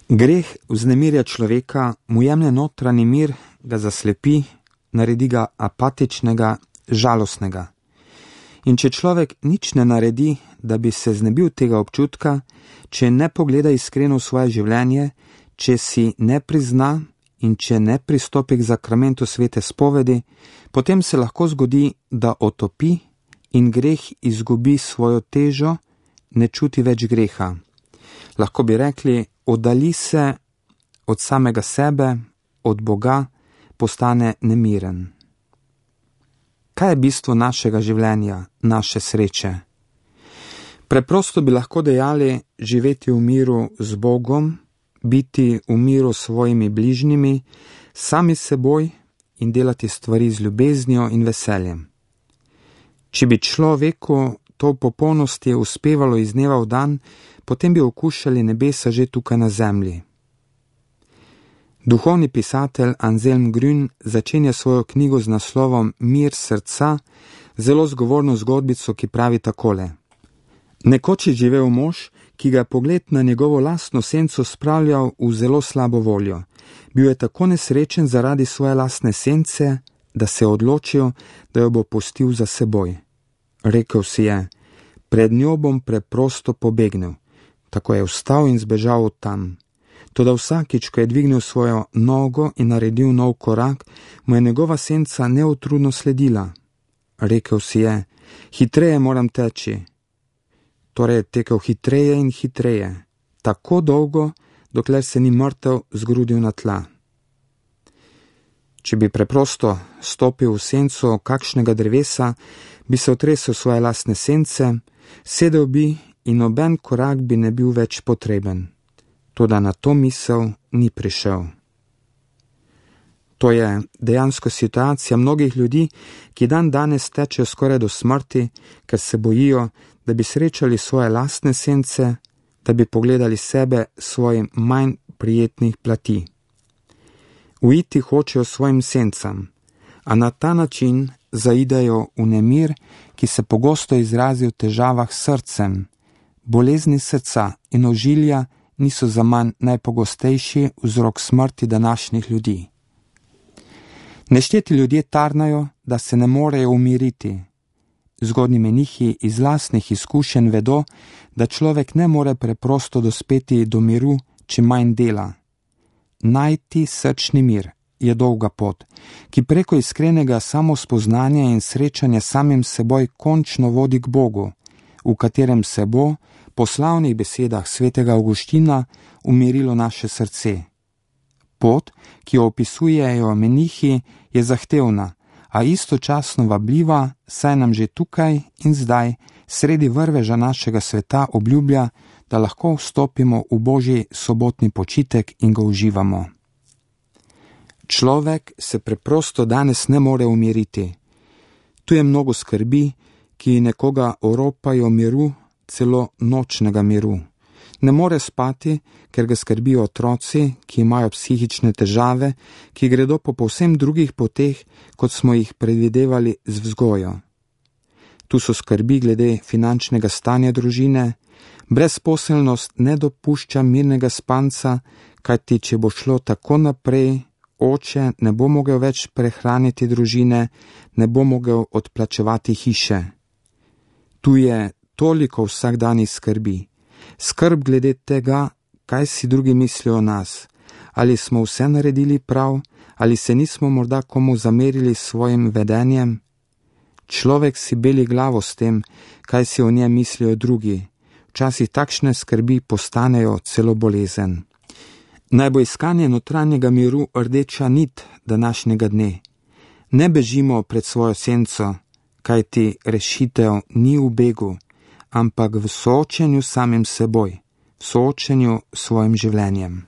Greh vznemirja človeka, mu jemlje notranji mir, ga zaslepi, naredi ga apatičnega, žalostnega. In če človek nič ne naredi, da bi se znebil tega občutka, če ne pogleda iskreno v svoje življenje, če si ne prizna in če ne pristopi k zakramentu svete spovedi, potem se lahko zgodi, da otopi in greh izgubi svojo težo, ne čuti več greha. Lahko bi rekli, oddalji se od samega sebe, od Boga, postane nemiren. Kaj je bistvo našega življenja, naše sreče? Preprosto bi lahko dejali živeti v miru z Bogom, biti v miru s svojimi bližnjimi, sami s seboj in delati stvari z ljubeznijo in veseljem. Če bi človeku to v popolnosti uspevalo iz dneva v dan, potem bi okušali nebesa že tukaj na zemlji. Duhovni pisatelj Anselm Grün začenja svojo knjigo z naslovom Mir srca, zelo zgovorno zgodbico, ki pravi takole. Nekoč je živel mož, ki ga pogled na njegovo lastno senco spravljal v zelo slabo voljo. Bil je tako nesrečen zaradi svoje lastne sence, da se je odločil, da jo bo pustil za seboj. Rekel si je, pred njo bom preprosto pobegnil. Tako je vstal in zbežal od tam. Toda vsakič, ko je dvignil svojo nogo in naredil nov korak, mu je njegova senca neutrudno sledila. Rekel si je, hitreje moram teči. Torej je tekel hitreje in hitreje, tako dolgo, dokler se ni mrtev zgrudil na tla. Če bi preprosto stopil v senco kakšnega drevesa, bi se otresel svoje lastne sence, sedel bi in noben korak bi ne bil več potreben. Toda na to misel ni prišel. To je dejansko situacija mnogih ljudi, ki dan danes tečejo skoraj do smrti, ker se bojijo, da bi srečali svoje lastne sence, da bi pogledali sebe svojim manj prijetnih plati. Uiti hočejo svojim sencam, a na ta način zaidejo v nemir, ki se pogosto izrazi v težavah s srcem. Bolezni srca in ožilja niso zaman najpogostejši vzrok smrti današnjih ljudi. Nešteti ljudje tarnajo, da se ne morejo umiriti. Zgodnji menihi iz lastnih izkušenj vedo, da človek ne more preprosto dospeti do miru, če manj dela. Najti srčni mir je dolga pot, ki preko iskrenega samospoznanja in srečanja samim seboj končno vodi k Bogu, v katerem se bo, po slavnih besedah svetega Avguština, umirilo naše srce. Pot, ki jo opisujejo menihi, je zahtevna, a istočasno vabljiva, saj nam že tukaj in zdaj, sredi vrveža našega sveta obljublja, da lahko vstopimo v Božji sobotni počitek in ga uživamo. Človek se preprosto danes ne more umiriti. Tu je mnogo skrbi, ki nekoga oropajo miru, celo nočnega miru. Ne more spati, ker ga skrbijo otroci, ki imajo psihične težave, ki gredo po povsem drugih poteh, kot smo jih predvidevali z vzgojo. Tu so skrbi glede finančnega stanja družine, brezposelnost ne dopušča mirnega spanca, kajti če bo šlo tako naprej, oče ne bo mogel več prehraniti družine, ne bo mogel odplačevati hiše. Tu je toliko vsakdanjih skrbi. Skrb glede tega, kaj si drugi mislijo o nas, ali smo vse naredili prav, ali se nismo morda komu zamerili s svojim vedenjem. Človek si beli glavo s tem, kaj si o njem mislijo drugi. Včasih takšne skrbi postanejo celo bolezen. Naj bo iskanje notranjega miru rdeča nit današnjega dne. Ne bežimo pred svojo senco, kajti rešitev ni v begu, ampak v soočenju samim seboj, v soočenju s svojim življenjem.